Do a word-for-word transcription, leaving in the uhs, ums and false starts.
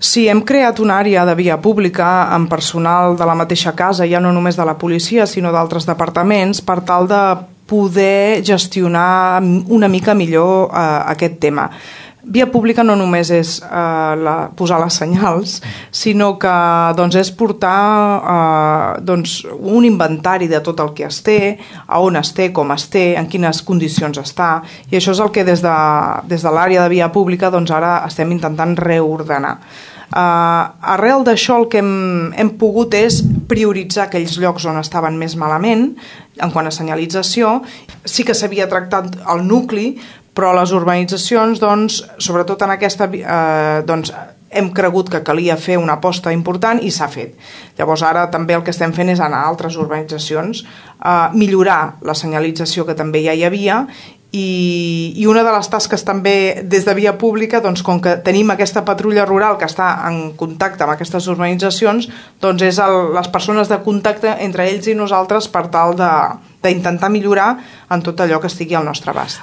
Sí, hem creat una àrea de via pública amb personal de la mateixa casa, ja no només de la policia, sinó d'altres departaments, per tal de poder gestionar una mica millor eh, aquest tema. Via pública no només és eh, la, posar les senyals, sinó que doncs, és portar eh, doncs, un inventari de tot el que es té, a on es té, com es té, en quines condicions està, i això és el que des de, des de l'àrea de via pública doncs, ara estem intentant reordenar. Uh, arrel d'això el que hem, hem pogut és prioritzar aquells llocs on estaven més malament en quant a senyalització. Sí que s'havia tractat el nucli, però les urbanitzacions, doncs, sobretot en aquesta, eh, doncs, hem cregut que calia fer una aposta important i s'ha fet. Llavors ara també el que estem fent és anar a altres urbanitzacions, eh, millorar la senyalització que també ja hi havia. I, i una de les tasques també des de via pública, doncs, com que tenim aquesta patrulla rural que està en contacte amb aquestes urbanitzacions, doncs és el, les persones de contacte entre ells i nosaltres per tal de, d'intentar millorar en tot allò que estigui al nostre abast.